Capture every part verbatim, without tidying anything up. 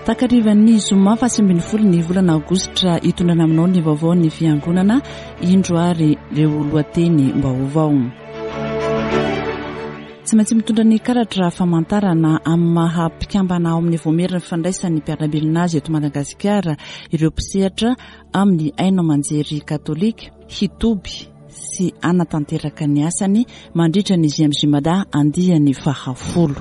Takarivan'ny zoma faha sivy ambin'ny folo ny volana aogositra, hitondrana aminao ny vaovao ny fiangonana. Indro ary ireo lohateny vaovao. Tsy maintsy mitondra ny karatra famantarana amin'ny maha mpikambana ao amin'ny vaomiera ny fandraisan'ny mpiara-belona azy eto Madagasikara ireo mpisehatra amin'ny haino aman-jery katolika hitoby sy hanatanteraka ny asany mandritra ny J M J Mada andiany fahafolo.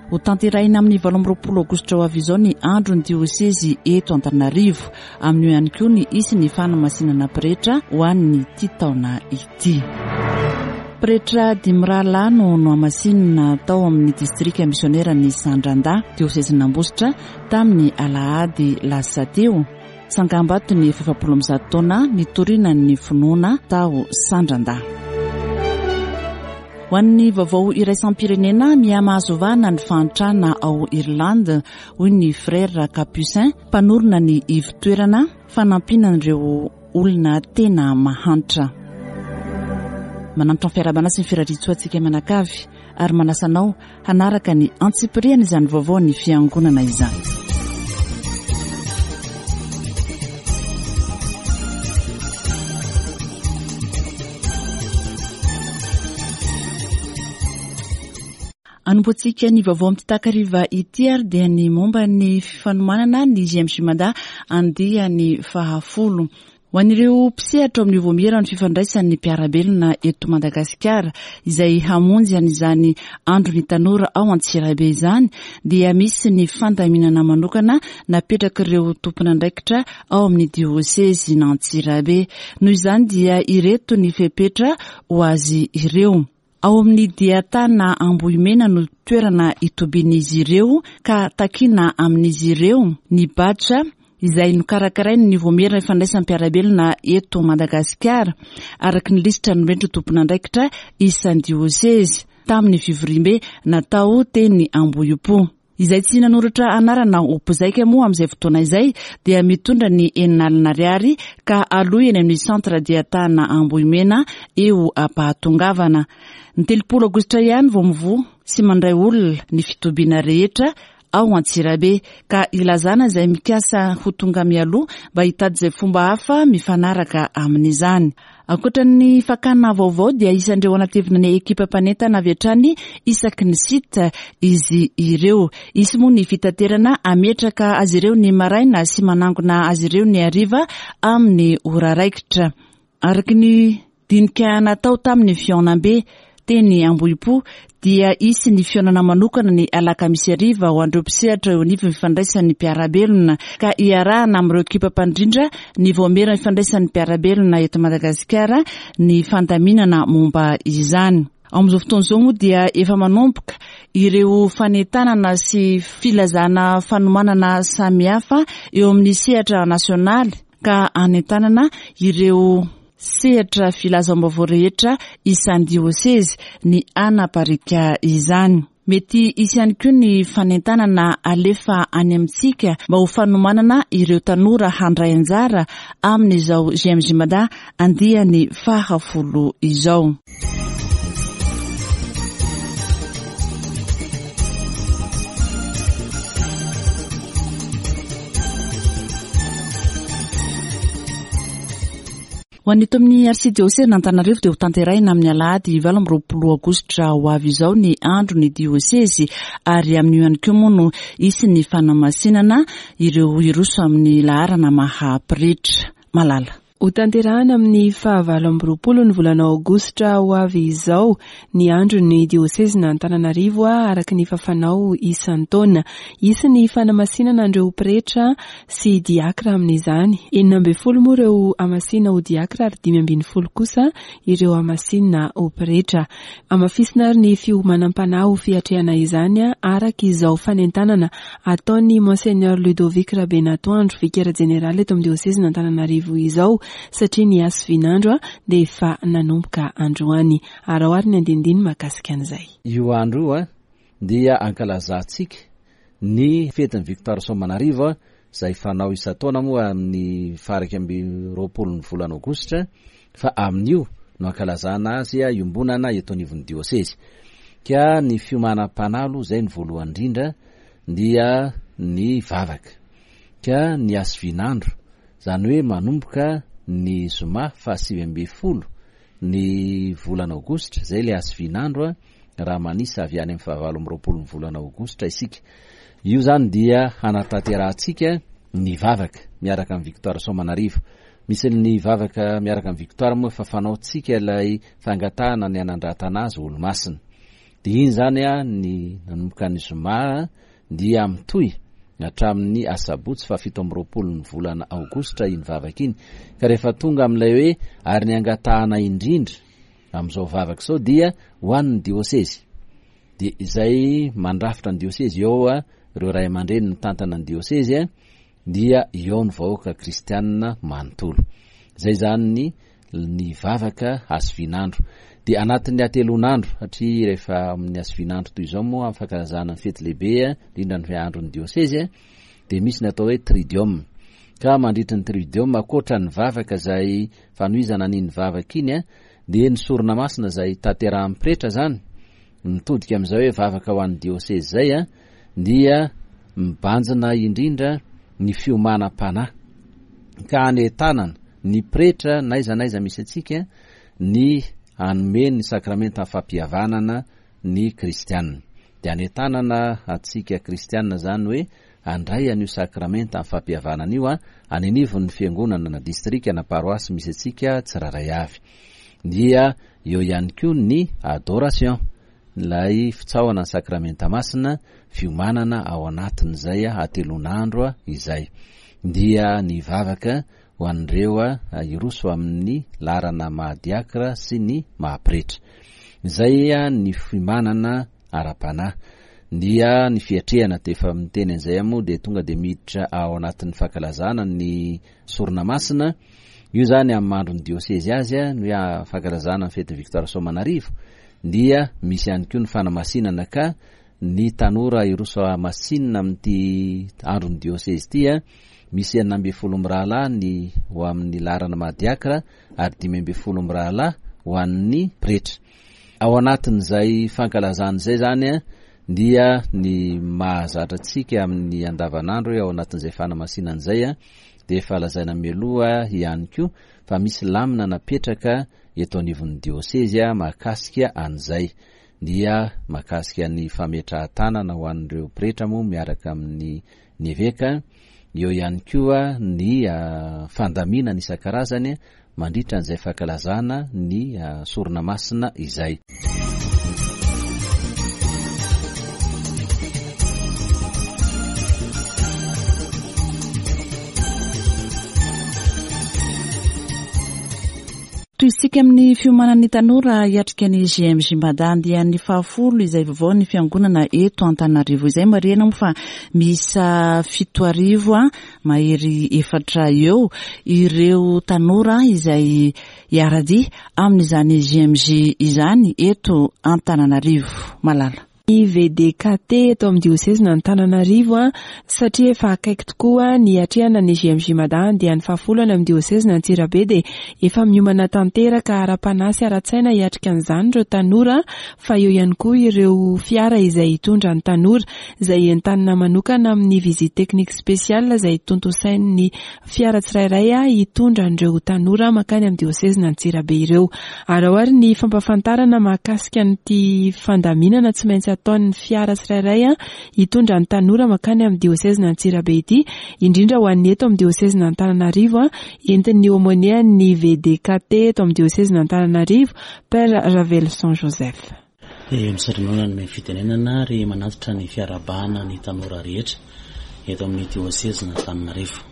Ho tanterahina amin'ny valo amby roapolo aogositra ho avy izao ny andro ny diosezy eto Antananarivo. Amin'io ihany koa ny hisy ny fanamasinana pretra ho an'ny ty taona ity. Pretra dimy rahalahy no nohamasinina tao amin'ny distrika misionera ny Sandrandahy, diosezin'Ambositra, tamin'ny alahady lasa teo. Tsangambato ny efapolo amby zato taona nitoriana ny finoana tao Sandrandahy. Ho an'ny vaovao iraisam-pirenena, mihamahazo vahana ny fahantrana ao Irlande, hoy ny frère Capucin, mpanorina ny ivon-toerana fanampiana ireo olona tena mahantra. Manantitra ny fiarahabana sy ny firariantsoa antsika manakavy ary manasa anao hanaraka ny antsipiriany izany vaovao ny fiangonana izany. Anombohantsika ny vaovao amin'ity takariva ity ary dia ny momba ny fanomanana ny J M J Mada andiany fahafolo. Ho an'ireo mpisehatra amin'ny vaomiera ny fifandraisan'ny mpiara-belona eto Madagasikara izay hamonjy an'izany andro ny tanora ao Antsirabe izany, dia misy ny fandaminana manokana napetraka ireo tompon'andraikitra ao amin'ny diosezy n'Antsirabe. Noho izany dia ireto ny fepetra ho azy ireo. Ao amin'ny diatana Ambohimena no toerana itobian'izy ireo, ka takina amin'izy ireo ny badge izay nokarakarainy ny vaomiera ifandraisan'ny mpiara-belona eto Madagasikara, araka ny lisitra nomendry tompon'andraikitra isan'ny diosezy tamin'ny fivoriambe natao teny Ambohipo. Izay tsy nanoratra anarana ho mpizaika moa amin'izay fotoana izay dia mitondra ny enina alina ariary ka aloha eny amin'ny centre diatana Ambohimena eo ampahatongavana. Ny telopolo aogositra ihany vao mivoha sy mandray olona ny fitobiana rehetra ao Antsirabe, ka ilazana izay mikasa ho tonga mialoha mba hitady izay fomba hafa mifanaraka amin'izany. Ankoatra ny fakana vaovao dia isan'ireo anatevina ny ekipa mpanentana avy hatrany isaky ny site izy ireo. Hisy moa ny fitaterana ametraka azy ireo ny maraina sy manangona azy ireo ny hariva amin'ny ora raikitra. Araka ny dinika natao tamin'ny fihaonambe teny Ambohipo dia hisy ny fihaonana manokana ny alakamisy hariva ho an'ireo mpisehatra eo anivon'ny fifandraisan'ny mpiara-belona, ka iarahana amin'ireo ekipa mpandrindra ny vaomiera ny fifandraisan'ny mpiara-belona eto Madagasikara ny fandaminana momba izany. Amin'izao fotoana izao moa dia efa manomboka ireo fanentanana sy filazana fanomanana samihafa eo amin'ny sehatra nasionaly, ka anentanana ireo sehatra filazam-baovao rehetra isan'ny diosezy ny anaparika izany. Mety hisy ihany koa ny fanentanana alefa any amintsika mba ho fanomanana ireo tanora handray anjara amin'izao J M J Mada andiany fahafolo izao. Ho an'ny eto amin'ny arsidiôsezy Antananarivo dia ho tanterahina amin'ny alahady valo amby roapolo aogositra ho avy izao ny andro ny diosezy, ary amin'io ihany koa moa no hisy ny fanamasinana ireo hiroso amin'ny laharana maha pretra. Malala. Ho tanterahana amin'ny fahavalo amby roapolo ny volana aogositra ho avy izao ny andro ny diosezy Antananarivo, araka ny fanao isan-taona. Hisy ny fanamasinana an'ireo pretra sy diakra amin'izany. Enina ambin'ny folo moa ireo hamasinina ho diakra ary dimy ambin'ny folo kosa ireo hamasinina ho pretra. Hamafisina ary ny fiomanam-panahy ho fiatrehana izany, araka izao fanentanana ataon'ny Monseigneur Ludovic Rabenatoandro, vikera jeneraly eto amin'ny diosezy Antananarivo izao, satria ny hasivinandro dia efa nanomboka androany. Ary ao ary ny andinindiny mahakasika an'izay. Io andro io a dia ankalazantsika ny fetin'ny Victoire Soamanarivo, izay fanao isan-taona moa amin'ny faha-iraika amby roapolo ny volana aogositra, fa amin'io no ankalazana azy iombonana eto anivon'ny diosezy. Ka ny fiomanam-panahy aloha izay ny voalohany indrindra, dia ny vavaka. Ka ny hasivian'andro, izany hoe manomboka ny zoma fahasivy ambin'ny folo ny volana aogositra, izay ilay hasivian'andro raha manisa avy any amin'ny fahavalo amby roapolo ny volana aogositra isika. Io izany dia hanatanterahantsika ny vavaka miaraka amin'ny Victoire Soamanarivo. Misy ny vavaka miaraka amin'ny Victoire moa efa fanaontsika ilay fangatahana ny hanandratana azy olo-masina. Dia iny izany ny nanomboka ny zoma dia mitohy hatramin'ny asabotsy fahafito amby roapolo ny volana aogositra iny vavaka iny. Ka rehefa tonga amin'ilay hoe ary ny angatahana indrindra amin'izao vavaka izao dia ho an'ny diosezy. Dia izay mandrafitra ny diosezy eo ireo ray aman-dreny mitantana ny diosezy dia eo ny vahoaka kristianina manontolo. Izay izany ny, ny vavaka hasivian'andro. Dia anatin'ny hatelon'andro, satria rehefa amin'ny hasivian'andro toy izao moa amin'ny fankalazana ny fety lehibe, indrindra ny andron'ny diosezy, dia misy ny atao hoe tridium. Ka mandritra ny tridium, ankoatra ny vavaka izay fanohizana an'iny vavaka iny, dia ny sorona masina izay tanterahan'ny pretra izany, mitodika amin'izay hoe vavaka ho an'ny diosezy izay, dia mibanjina indrindra ny fiomanam-panahy. Ka anentanana ny pretra n'aiza n'aiza misy antsika ny hanome ny sakramenta fampihavanana ny kristianina. Dia anentanana antsika kristianina izany hoe handray an'io sakramenta fampihavanana io any anivon'ny fiangonana na distrika na paroasy misy antsika tsirairay avy. Dia eo ihany koa ny adoration, ilay fitsaohana ny sakramenta masina, fiomanana ao anatin'izay hatelon'andro izay. Dia ny vavaka ho an'ireo hiroso amin'ny laharana maha-diakra sy ny maha-pretra. Izay ny fiomanana ara-panahy. Dia ny fiatrehana, dia efa miteny an'izay moa dia tonga dia miditra ao anatin'ny fankalazana ny sorona masina. Io izany amin'ny andron'ny diosezy azy, ny hoe fankalazana ny fetin'ny Victoire Soamanarivo, dia misy ihany koa ny fanamasinana ka ny tanora hiroso hamasinina amin'ity andron'ny diosezy ity, misy enina ambin'ny folo mirahalahy ny ho amin'ny laharana maha-diakra ary dimy ambin'ny folo mirahalahy ho an'ny pretra. Ao anatin'izay fankalazana izay izany dia ny mahazatra antsika amin'ny andavanandro hoe ao anatin'izay fanamasinana izay dia efa lazaina mialoha ihany koa fa misy lamina napetraka eto anivon'ny diosezy mahakasika an'izay. Dia mahakasika ny fametrahan-tanana ho an'ireo pretra moa miaraka amin'ny ny eveka, eo ihany koa ny fandaminana isan-karazany mandritra an'izay fankalazana ny sorona masina izay. Tohizitsika amin'ny fiomanan'ny tanora hiatrika ny G M J Mada andiany fahafolo izay vaovao ny fiangonana eto Antananarivo izay. Marihana moa fa miisa fito arivo mahery efatra eo ireo tanora izay hiara-dia amin'izany G M J izany eto Antananarivo. Malala. Ny V D K T eto amin'ny diosezina Antananarivo a, satria efa akaiky tokoa ny hiatrehana ny G M J Mada andiany fahafolo any amin'ny diosezina Antsirabe dia efa miomana tanteraka ara-panahy sy ara-tsaina hiatrika an'izany ireo tanora, fa eo ihany koa ireo fiara izay hitondra ny tanora izay entanina manokana amin'ny visite technique spéciale izay tontosain'ny fiara tsirairay a, hitondra an'ireo tanora mankany amin'ny diosezina Antsirabe ireo. Ary ao ary ny fampahafantarana mahakasika an'ity fandaminana tsy maintsy ataon'ny fiara tsirairay a, hitondra ny tanora mankany amin'ny diosezina Antsirabe ity, indrindra ho an'ny eto amin'ny diosezina Antananarivo a, entin'ny aumônier-n'ny V D K T eto amin'ny diosezina Antananarivo, Père Ravelson Joseph. Eh, misaotra anao nanome fitenenana ary manatitra ny fiarahabana ny tanora rehetra eto amin'ny diosezina Antananarivo.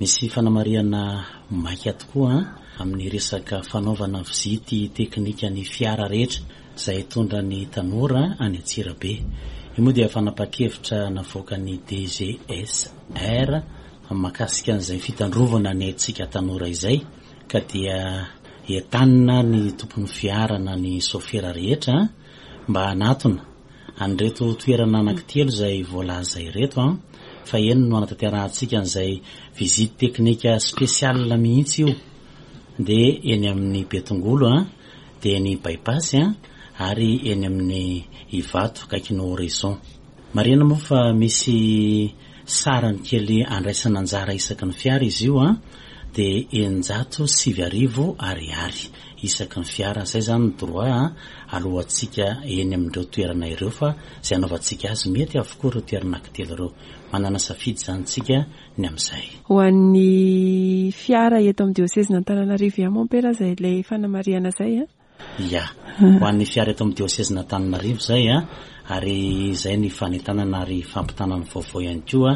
Misy fanamarihana maika tokoa amin'ny resaka fanaovana vizity teknika ny fiara rehetra izay hitondra ny tanora any Antsirabe. Io moa dia fanapahan-kevitra navoakan'ny D G S R mahakasika an'izay fitandrovana ny antsika tanora izay, ka dia entanina ny tompon'ny fiara na ny sofera rehetra mba hanatona an'ireto toerana anankitelo izay voalaza ireto, an, fa eny no hanatanterahantsika an'izay visite technique spéciale mihitsy io, dia eny amin'ny Betongolo, an, dia eny Bypass, an, ary eny amin'ny Ivato akaikin'ny Horizon. Marihana moa fa misy sarany kely andraisana anjara isaky ny fiara izy io an, dia eninjato sivy arivo ariary isaky ny fiara. Izay izany ny droit an, alohantsika eny amin'ireo toerana ireo, fa izay anaovantsika azy mety avokoa ireo toerana anankitelo ireo. Manana safidy izany tsika ny amin'izay. Ho an'ny fiara eto amin'ny diosezin'Antananarivo ihany mompera izay ilay fanamarihana izay an? Ya, ho an'ny fiara eto amin'ny diosezin'Antananarivo izay an, ary izay ny fanentanana ary fampitana ny vaovao ihany koa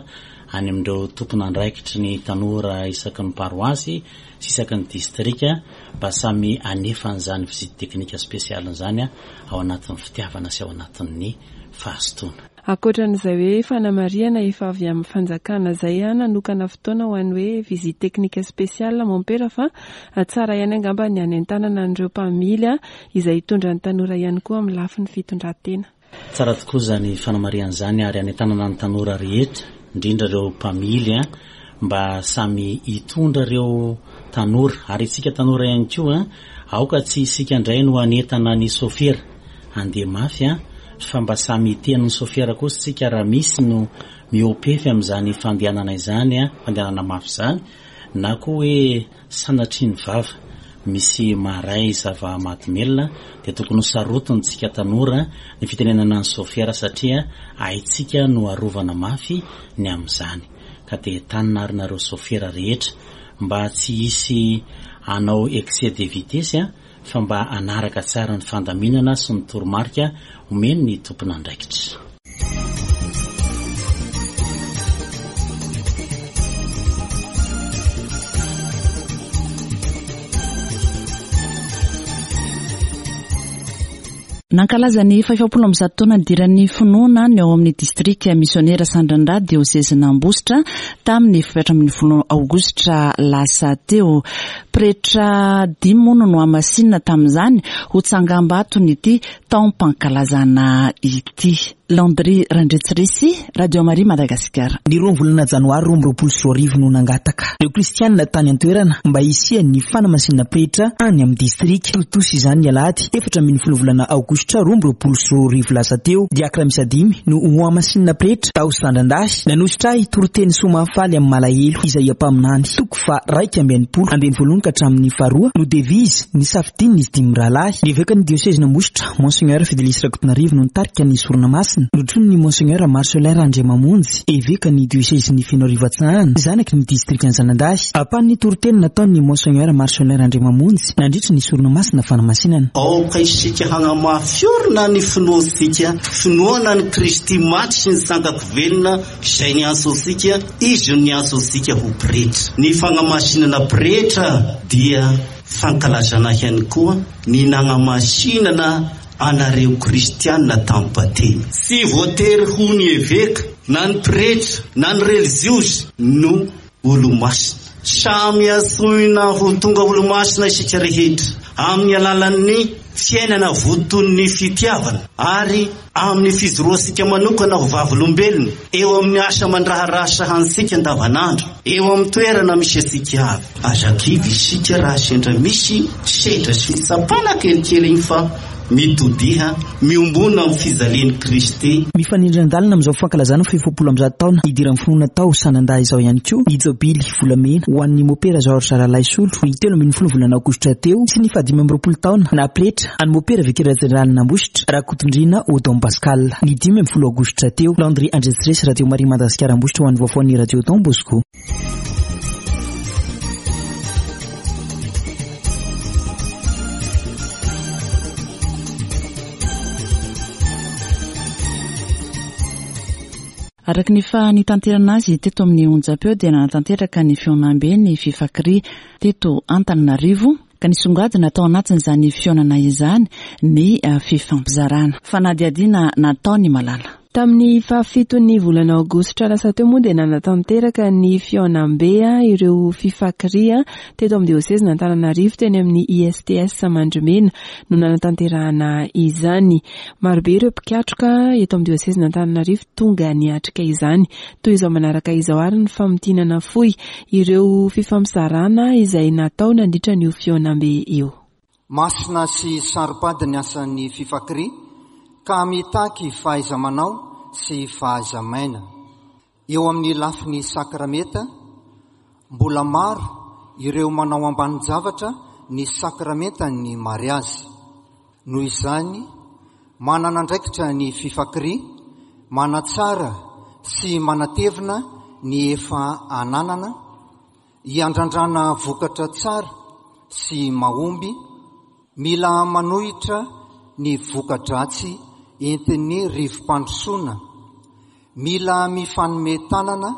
any amin'ireo tompon'andraikitry ny tanora isaky ny paroasy sy isaky ny distrika mba samy hanefa an'izany visite teknika spesialy izany ao anatin'ny fitiavana sy ao anatin'ny fahazotoana. Ankoatran'izay hoe fanamarihana efa avy amin'ny fanjakana izay an, nanokana fotoana ho an'ny hoe visite teknika spesialy mompera, fa tsara ihany angamba ny hanentanana an'ireo mpamily an, izay hitondra ny tanora ihany koa amin'ny lafiny fitondran-tena. Tsara tokoa izany fanamarihana izany ary hanentanana ny tanora rehetra, indrindra ireo mpamily an, mba samy hitondra ireo tanora, ary isika tanora ihany koa an, aoka tsy isika indray no hanentana ny sofera handeha mafy an, fa mba samy hiteny ny sofera kosa isika raha misy no miopefy amin'izany fandehanana izany an, fandehanana mafy izany, na koa hoe sanatria ny vava misy maray zava-mahadomelina, dia tokony ho sarotiny tsika tanora ny fitenenana ny sofera satria haintsika no arovana mafy ny amin'izany. Ka dia entanina ary nareo sofera rehetra mba tsy hisy hanao excès de vitesse an, fa mba hanaraka tsara ny fandaminana sy ny toromarika omeny ny tompon'andraikitra. Nankalaza ny fahefapolo amby zato taona nidiran'ny finoana ny ao amin'ny distrika misionera Sandrandahy diosezin'Ambositra tamin'ny efatra ambin'ny folo aogositra lasa teo. Pretra dimy moa no nohamasinina tamin'izany ho tsangambaton'ity taom-pankalazana ity. Landry Randriatsirisy, Radio Maria Madagasikara. Ny roa volana janoary roa amby roapolo sy roa arivo no nangataka ireo kristianina tany an-toerana mba hisian'ny fanamasinana pretra any amin'ny distrika. Tontosa izany ny alahady efatra ambin'ny folo volana aogositra roa amby roapolo sy roa arivo lasa teo. Diakra miisa dimy no hohamasinina pretra tao Sandrandahy. Nanositra ahy toriteny soa mahafaly amin'ny malahelo izay mpaminany. Toko fa raika amby enimpolo andininy voalohany ka hatramin'ny faharoa no devise ny safidin'izy dimy rahalahy. Ny evekan'ny diosezin'Ambositra Monseigneur Fidelis Rakotonarivo no nitarika ny sorona masina. Notronin'ny Monseigneur Marcelin Randriamamonjy, evekan'ny diosezin'ny Fenoarivo Atsinanana, zanaky ny distrikan'i Zanadahy. Ampahan'ny toriteny nataon'ny Monseigneur Marcelin Randriamamonjy nandritra ny sorona masina fanamasinana. Aoka isika hanamafy orina ny finoantsika, finoana ny Kristy maty sy ny sangako velona izay niantso antsika, izy no niantso antsika ho pretra. Ny fanamasinana pretra dia fankalazana ihany koa ny nanamasinana anareo kristianina tamin'ny batemy. Tsy voatery ho ny eveka na ny pretra na ny reliziozy no olo-masina. Samy antsoina ho tonga olo-masina isika rehetra amin'ny alalan'ny fiainana voton'ny fitiavana ary amin'ny fijoroantsika manokana ho vavolombelona eo amin'ny asa aman-draharaha sahanintsika andavanandro, eo amin'ny toerana misy antsika avy. Aza kivy isika raha sendra misy sedra sy fitsapana kelikely iny fa mitodiha miombona amin'ny fijalian'i Kristy. Mifanindran-dalana amin'izao fankalazana fahefapolo amby zato taona nidiran'ny finoana tao Sanandahy izao ihany koa ny jobily volamena ho an'ny mopera Georges Ralaisolo ny telo ambin'ny folo volana aogositra teo sy ny fahadimy amby roapolo taona na pretra an'ny mopera vikera jeneralin'Ambositra Rakotondriana Odon Pascal ny dimy ambin'ny folo aogositra teo. Landry Andriatsiresy, Radio Maria Madagasikara Ambositra ho an'ny vaovaon'ny Radio Don Bosco. Araka ny efa nitanterana azy teto amin'ny onjam-peo dia nanatanteraka ny fihaonambe ny Fifakria teto Antananarivo, ka nisongadina tao anatin'izany fihaonana izany ny fifampizarana. Fanadihadiana nataony Malala. Tamin'ny fahafiton'ny volana aogositra lasa teo moa dia nanatanteraka ny fihaonambe ireo Fifakria teto amin'ny diosezin'Antananarivo teny amin'ny I S T S Mandrimena no nanatanterahana izany. Marobe ireo mpikatroka eto amin'ny diosezin'Antananarivo tonga niatrika izany. Toy izao manaraka izao ary ny famintinana fohy ireo fifampizarana izay natao nandritra ny fihaonambe io. Masina sy saro-pady ny asan'ny Fifakria ka mitaky fahaiza-manao sy fahaiza-maina. Eo amin'ny lafiny sakramenta, mbola maro ireo manao ambanin-javatra ny sakramentan'ny mariazy. Noho izany, manana andraikitra ny Fifakria, manatsara sy manatevina ny efa ananana, hiandrandrana vokatra tsara sy mahomby, mila manohitra ny voka-dratsy entin'ny rivo-pandrosoana, mila mifanome tanana,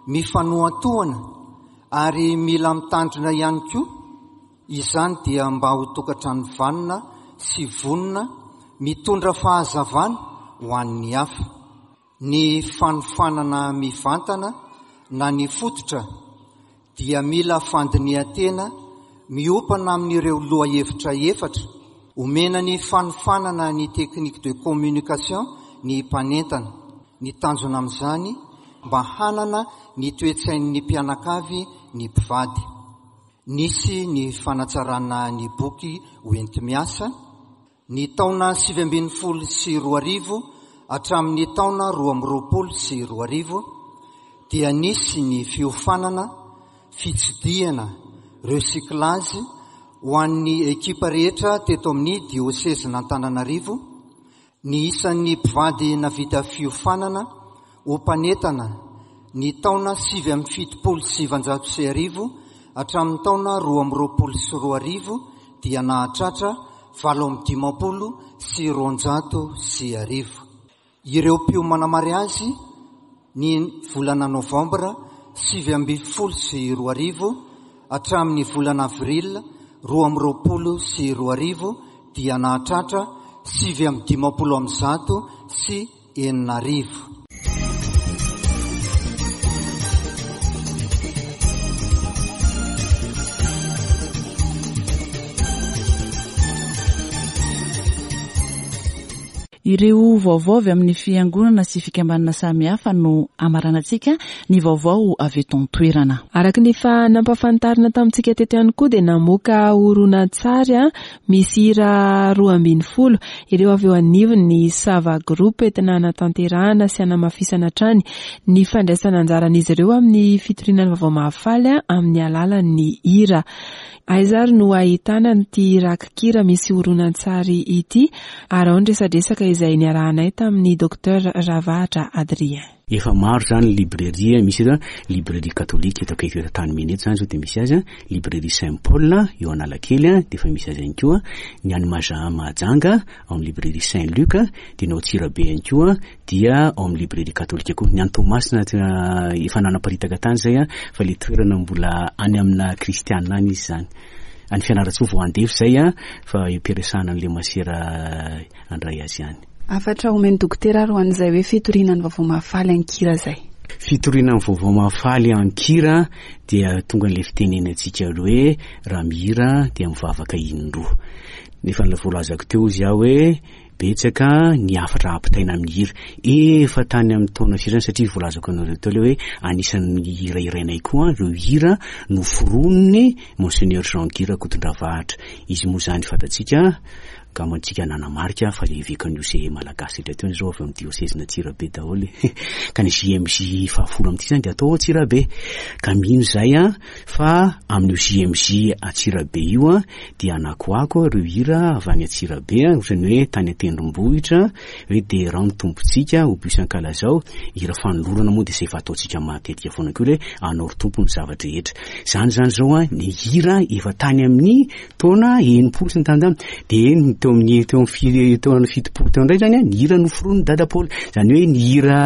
mifanohantohana ary mila mitandrina ihany koa. Izany dia mba ho tokantrano vanona sy vonona mitondra fahazavana ho an'ny hafa. Ny fanofanana mivantana na ny fototra dia mila fandinihan-tena miompana amin'ireo lohahevitra efatra. Omena ny fanofanana ny technique de communication ny mpanentana. Ny tanjona amin'izany mba hanana ny toe-tsain'ny mpianakavy ny mpivady. Nisy ny fanatsarana ny boky hoenti-miasa ny taona sivy ambin'ny folo sy roa arivo hatramin'ny taona roa amby roapolo sy roa arivo dia nisy ny fiofanana, fitsidihana, recyclage ho an'ny ekipa rehetra teto amin'ny diosezin'Antananarivo. Ny isan'ny mpivady navita fiofanana ho mpanentana ny taona sivy amby fitopolo sy sivanjato sy arivo hatramin'ny taona roa amby roapolo sy roa arivo dia nahatratra valo amby dimampolo sy roanjato sy arivo. Ireo mpiomana mariazy ny volana novambra sivy amby folo sy roa arivo hatramin'ny volana avril roa amby roapolo sy roa arivo dia nahatratra sivy amby dimampolo amby zato sy enina arivo. Ireo vaovao avy amin'ny fiangonana sy fikambanana samihafa no amaranantsika ny vaovao avy eto an-toerana. Araka ny efa nampahafantarina tamintsika teto ihany koa dia namoaka horonantsary a misy hira roa ambin'ny folo ireo avy eo anivon'ny Sava Group entina hanatanterahana sy hanamafisana hatrany ny fandraisana anjaran'izy ireo amin'ny fitoriana ny vaovao mahafaly amin'ny alalan'ny hira. Aiza ary no ahitana an'ity rakikira misy horonantsary ity? Ary ao ny resadresaka izay niarahanay tamin'ny Docteur Ravahatra Adrien. Efa maro zany librairie misy eto, librairie katolika eto akaiky eto Antanimena eto zany zao dia misy azy, librairie Saint Paul eo Analakely dia efa misy azy ihany koa, ny any Maja Mahajanga ao amin'ny librairie Saint Luc, dia ny ao Antsirabe ihany koa dia ao amin'ny librairie katolika koa. Ny any Toamasina efa nanaparitaka tany zay fa le toerana mbola any amina kristiana any izy zany. Any Fianarantsoa vao andefa zay fa eo am-piresahana an'ilay masera andray azy ihany. Hafatra omen'ny dokotera ary ho an'izay hoe fitoriana ny vaovao mahafaly an-kira zay. Fitoriana ny vaovao mahafaly an-kira dia tonga an'ilay fitenenantsika aloha hoe raha mihira dia mivavaka indroa. Nefa ny voalazako teo izy aho hoe betsaka ny hafatra ampitaina amin'ny hira. Efa tany amin'ny taona firy zany, satria voalazako anareo teo ilay hoe anisan'ny hira irainay koa ireo hira noforoniny Monseigneur Jean Guy Rakotondravahatra. Izy moa zany fantatsika gamantsika nanamarika fa le evekan'ny U C E Malagasy rehetra teo izao avy amin'ny diocèse Antsirabe daholo. Ka ny J M J fahafolo amin'ity zany dia atao Antsirabe. Ka mino izay a fa amin'io J M J Antsirabe io a dia anakoako ireo hira avy any Antsirabe a, ohatran'ny hoe tany an-tendrombohitra hoe derao ny tompontsika, ho bus ankalazao. Hira fanolorana moa dia izay efa ataontsika matetika foana koa hoe anao ry tompo ny zava-drehetra. Zany zany zao a ny hira efa tany amin'ny taona enimpolo sy ny tany tany. Dia ny teo amin'ny, teo amin'ny fi-, teo amin'ny fitopolo teo indray zany a, ny hira noforon'ny Dada Paoly. Zany hoe ny hira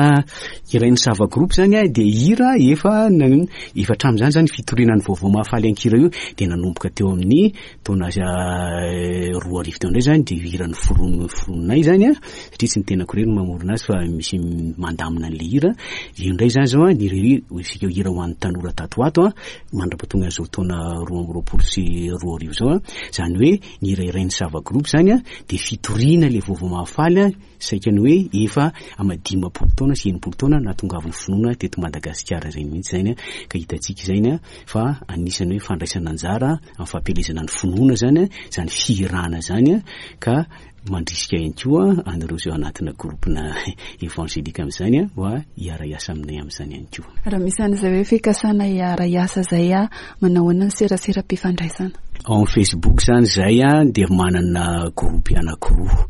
hirain'ny Sava Group zany a, dia hira efa na-, efa hatramin'izany zany fitoriana ny vaovao mahafaly an-kira io dia nanomboka teo amin'ny taona, eh, roa arivo teo indray zany dia hira noforon-, noforoninay zany a, satria tsy ny tenako irery no mamorona azy fa misy mandamina an'ilay hira. Io indray zany zao a, ny hira, isika hira ho an'ny tanora tato ho ato a, mandra-pahatonga an'izao taona roa amby roapolo sy roa arivo izao a, zany hoe ny hira irain'ny Sava Group zany a, dia fitoriana ilay vaovao mahafaly a, saika ny hoe efa ama dimampolo taona sy enimpolo taona nahatongavan'ny finoana teto Madagasikara izay mihitsy zany a, ka hitantsika izany a, fa anisan'ny hoe fandraisana anjara amin'ny fampielezana ny finoana zany a, zany fihirana zany a, ka Mandrisika ihany koa anareo izay ao anatina groupe-na évangélique amin'izany mba hiara-hiasa aminay amin'izany ihany koa. Raha misy an'izay hoe fikasana hiara-hiasa izay, manao ahoana ny seraseram-pifandraisana? Ao amin'ny Facebook izany izay dia manana groupe anankiroa.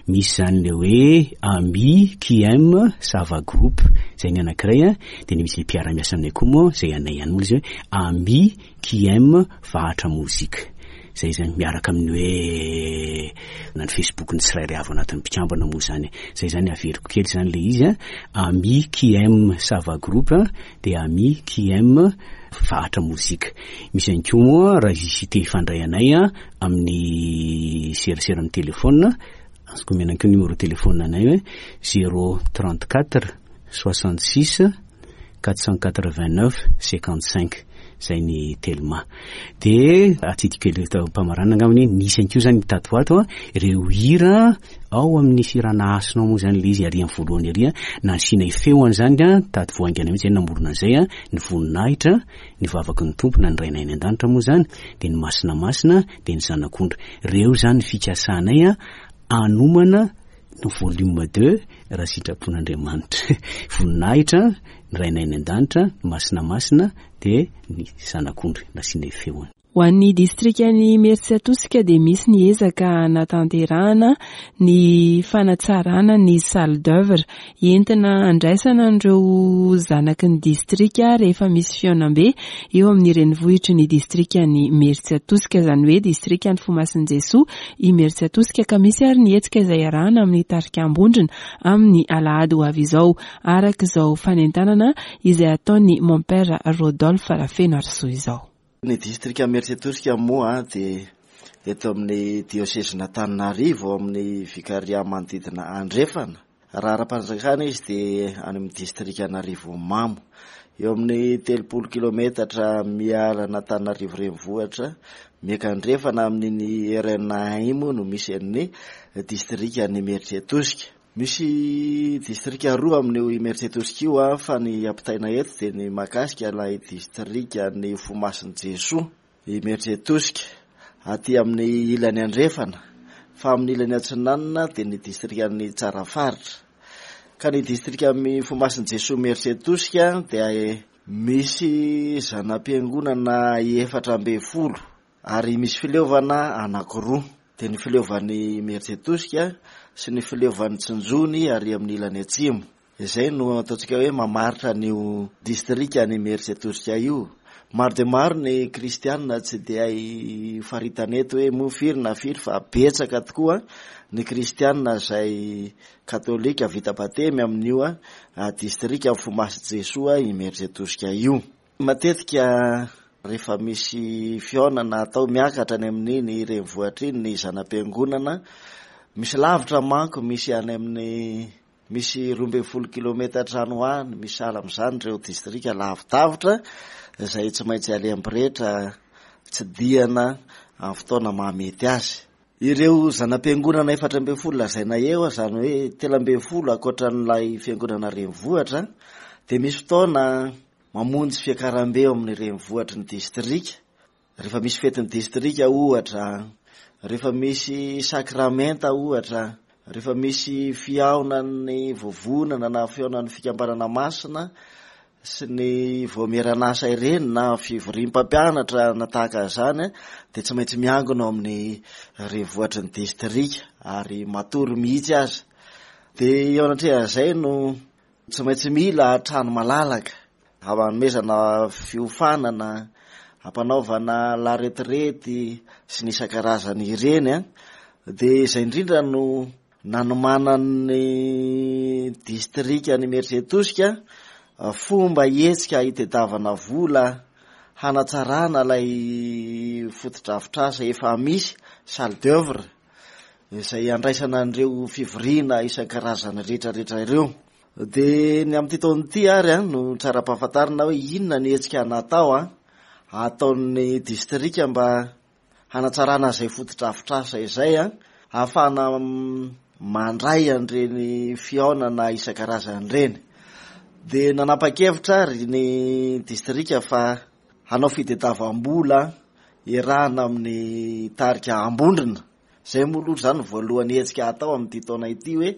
Misy izany ilay hoe Ami qui aime Sava Group, izay ny anankiray, dia ny misy mpiara-miasa aminay koa moa izay anay ihany moa ilay izy hoe Ami qui aime Vahatra Mozika. Izay izany miaraka amin'ny hoe na ny Facebook ny tsirairay avy ao anatin'ny mpikambana moa izany. Izay izany averiko kely izany ilay izy, Ami qui aime Sava Group dia Ami qui aime Vahatra Mozika. Misy ihany koa moa raha hisy te hifandray anay amin'ny serasera amin'ny téléphone, azoko omena koa numéro téléphone anay hoe zéro trente quatre soixante six quatre cent quatre vingt neuf cinquante cinq, izay ny Telma. Dia atsidiko kely eto am-pamaranana angamba hoe nisy ihany koa izany tato ho ato ireo hira ao amin'ny firana hasina ao moa izany ilay izy ary amin'ny voalohany ary nasiana feo an'izany tato vao haingana mihitsy izay namorona an'izay, ny voninahitra, ny vavaky ny Tompo na ny Rainay any an-danitra moa izany, dia ny masina masina, dia ny zanak'ondry. Ireo izany ny fikasanay hanomana ny volume deux raha sitrapon'Andriamanitra. Voninahitra, ny Rainay any an-danitra, ny masina masina, dia ny zanak'ondry nasiana feony. Ho an'ny distrikan'i Imerintsiatosika dia misy ny ezaka hanatanterahana ny fanatsarana ny salle d'œuvre entina handraisana an'ireo zanaky ny distrika rehefa misy fihaonambe eo amin'ny renivohitry ny distrikan'i Imerintsiatosika, izany hoe distrikan'ny Fomasin'i Jesoa Imerintsiatosika, ka misy ary ny hetsika izay iarahana amin'ny tarika Ambondrona amin'ny alahady ho avy izao, araka izao fanentanana izay ataon'ny Mompera Rodolphe Rafenoarisoa izao. Ny distrika Imerintsiatosika moa dia eto amin'ny diosezin'Antananarivo, ao amin'ny vikaria manodidina andrefana. Raha ara-panjakana izy dia any amin'ny distrika Anarivomamo, eo amin'ny telopolo kilometatra miala an'Antananarivo renivohitra, miakandrefana amin'iny R N A iny moa no misy an'ny distrika Imerintsiatosika. Misy distrika roa amin'io Imerintsiatosika io, fa ny ampitaina eto dia ny mahakasika ilay distrika ny Fomasin'i Jesoa Imerintsiatosika aty amin'ny ilany andrefana, fa amin'ny ilany atsinanana dia ny distrikan'ny Tsarafaritra. Ka ny distrika amin'ny Fomasin'i Jesoa Imerintsiatosika dia misy zana-piangonana efatra ambin'ny folo ary misy fileovana anankiroa, dia ny fileovan'ny Imerintsiatosika sy ny fileovan'ny Tsinjony ary amin'ny ilany atsimo. Izay no ataontsika hoe mamaritra an'io distrika ny Imerintsiatosika io. Maro dia maro ny kristianina tsy dia hay faritana eto hoe moa firy na firy, fa betsaka tokoa ny kristianina izay katolika vita batemy amin'io distrika Fomasin'i Jesoa Imerintsiatosika io. Matetika rehefa misy fihaonana atao miakatra any amin'iny renivohitra iny ny zana-piangonana, misy lavitra manko, misy any amin'ny misy roa ambin'ny folo kilometatra any ho any, misy sahala amin'izany ireo distrika lavidavitra izay tsy maintsy alehan'ny-pretra tsidihana amin'ny fotoana mahamety azy. Ireo zana-piangonana efatra ambin'ny folo lazaina eo, izany hoe telo ambin'ny folo ankoatran'ilay fiangonana renivohitra, dia misy fotoana mamonjy fiakarambe eo amin'ny renivohitry ny distrika. Rehefa misy fetin'ny distrika ohatra, rehefa misy sakramenta ohatra, rehefa misy fihaonan'ny vovonana na fihaonan'ny fikambanana masina sy ny vaomieran'asa ireny na fivoriam-pampianatra na tahaka izany, dia tsy maintsy miangona ao amin'ny renivohitry ny distrika ary matory mihitsy aza. Dia eo anatrehan'izay no tsy maintsy mila trano malalaka hanomezana fiofanana, hampanaovana laretirety sy ny isan-karazany ireny. Dia izay indrindra no nanomanan'ny distrika ny Imerintsiatosika fomba hetsika hitadiavana vola hanatsarana ilay fotodrafitrasa efa misy, salle d'œuvre, izay andraisana an'ireo fivoriana isan-karazany rehetrarehetra ireo. Dia ny amin'ity taona ity ary no tsara ampahafantarina hoe inona ny hetsika natao ataon'ny distrika mba hanatsarana izay fotodrafitrasa izay, ahafahana mandray an'ireny fihaonana isan-karazany ireny. Dia nanapa-kevitra ary ny distrika fa hanao fitadiavam-bola iarahana amin'ny tarika Ambondrona, Izay moa aloha izany no voalohany hetsika hatao amin'ity taona ity hoe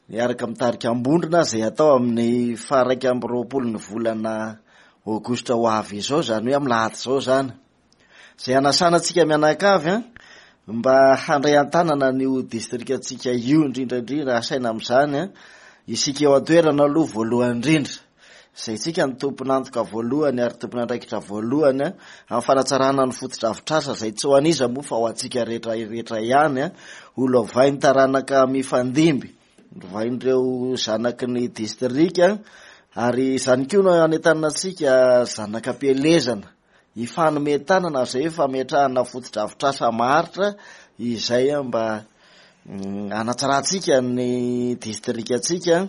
miaraka mitarika Ambondrona izay hatao amin'ny faha iraika amby roapolo ny volana aogositra ho avy izao, izany hoe amin'ny lahady izao izany. Izay hanasana antsika mianakavy an, mba handray an-tanana an'io distrikantsika io indrindra indrindra asaina amin'izany an, isika eo an-toerana aloha voalohany indrindra. Izay isika no tompon'antoka voalohany ary tompon'andraikitra voalohany amin'ny fanatsarana ny fotodrafitrasa izay tsy ho an'iza moa fa ho antsika rehetra rehetra ihany, ho lovain'ny taranaka mifandimby, lovain'ireo zanaky ny distrika, ary izany koa no anentanana antsika zanaka am-pielezana hifanome tanana izay fametrahana fotodrafitrasa maharitra izay mba hanatsarantsika ny distrikantsika,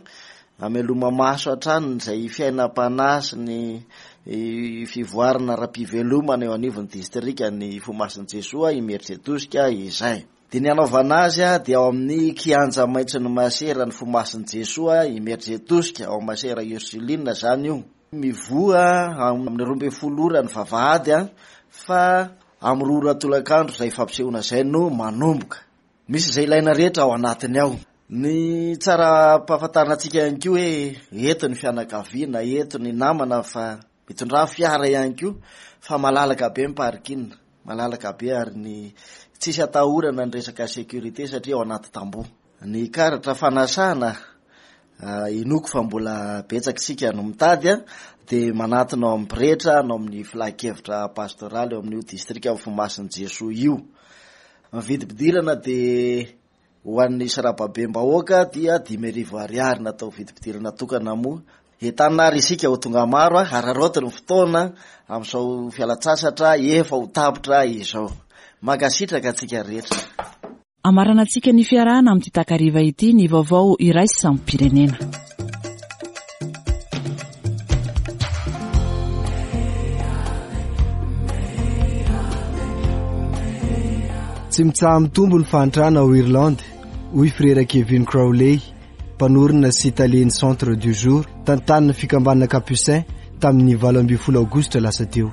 hameloma-maso hatrany izay fiainam-panahy sy ny fivoarana ara-pivelomana eo anivon'ny distrikan'ny Fomasin'i Jesoa Imeritsiatosika izay. Dia ny hanaovana azy dia ao amin'ny kianja maitson'ny Masera ny Fomasin'i Jesoa Imeritsiatosika, ao Masera Ursuline izany io. Mivoha amin'ny roa ambin'ny folo ora ny vavahady fa amin'ny roa ora tolakandro izay fampisehoana izay no manomboka. Misy izay ilaina rehetra ao anatiny ao. Ny tsara ampahafantarina antsika ihany koa hoe eto ny fianakaviana, eto ny namana fa mitondrà fiara ihany koa fa malalaka be ny parking, malalaka be ary ny tsisy atahorana ny resaka sécurité satria ao anaty tamboho. Ny karatra fanasana inoako fa mbola betsaka isika no mitady dia manatona ao amin'ny pretra na ao amin'ny filan-kevitra pastoraly eo amin'io distrika Fomasin'i Jesoa io. Ny vidim-pidirana dia ho an'ny sarababem-bahoaka dia dimy arivo ariary natao vidim-pidirana tokana moa. Entanina ary isika ho tonga maro, araraoty ny fotoana amin'izao fialan-tsasatra efa ho tapitra izao. Mankasitraka antsika rehetra. Amaranantsika ny fiarahana amin'ity takariva ity ny vaovao iraisam-pirenena. Tsy mitsaha-mitombo ny fahantrana ao Irlande, hoy Frera Kevin Crowley, mpanorina sy talen'ny Centre du Jour, tantanin'ny fikambanana Capucin, tamin'ny valo ambin'ny folo aogositra lasa teo.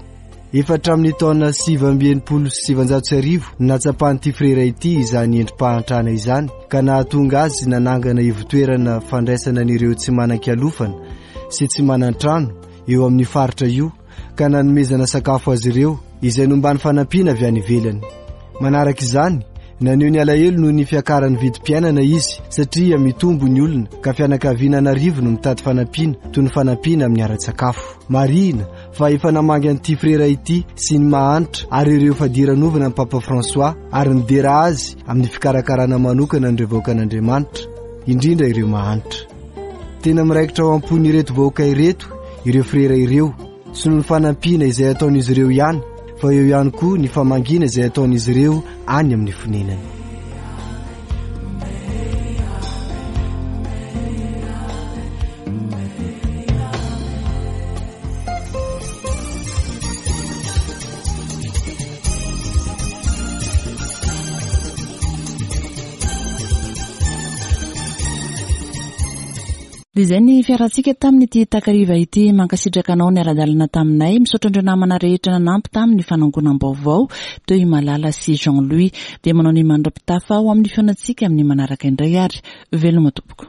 Efa hatramin'ny taona sivy amby enimpolo sy sivanjato sy arivo no natsapan'ity frera ity izany endri-pahantrana izany ka nahatonga azy nanangana ivotoerana fandraisana an'ireo tsy manan-kialofana sy tsy manan-trano eo amin'ny faritra io ka nanomezana sakafo azy ireo izay nomban'ny fanampiana avy any ivelany. Manaraka izany, naneho ny alahelo noho ny fiakaran'ny vidim-piainana izy satria mitombo ny olona ka fianakaviana an'arivo no mitady fanampiana toy ny fanampiana amin'ny ara-tsakafo. Marihina fa efa namangy an'ity frera ity sy ny mahantra ary ireo fadiranovana ny Papa François ary nidera azy amin'ny fikarakarana manokana an'ireo vahoakan'Andriamanitra, indrindra ireo mahantra. Tena miraikitra ao am-pon'ireto vahoaka ireto ireo frera ireo sy noho ny fanampiana izay ataon'izy ireo ihany, fa eo ihany koa ny famangiana izay ataon'izy ireo any amin'ny fonenany. Dia izay ny fiarantsika tamin'ity takariva ity. Mankasitraka anao niara-dalana taminay. Misaotra an'ireo namana rehetra nanampy tamin'ny fanangonam-baovao teo i Malala sy Jean-Louis. Dia manao ny mandra-pitafa ho amin'ny fihaonantsika amin'ny manaraka indray ary veloma tompoko.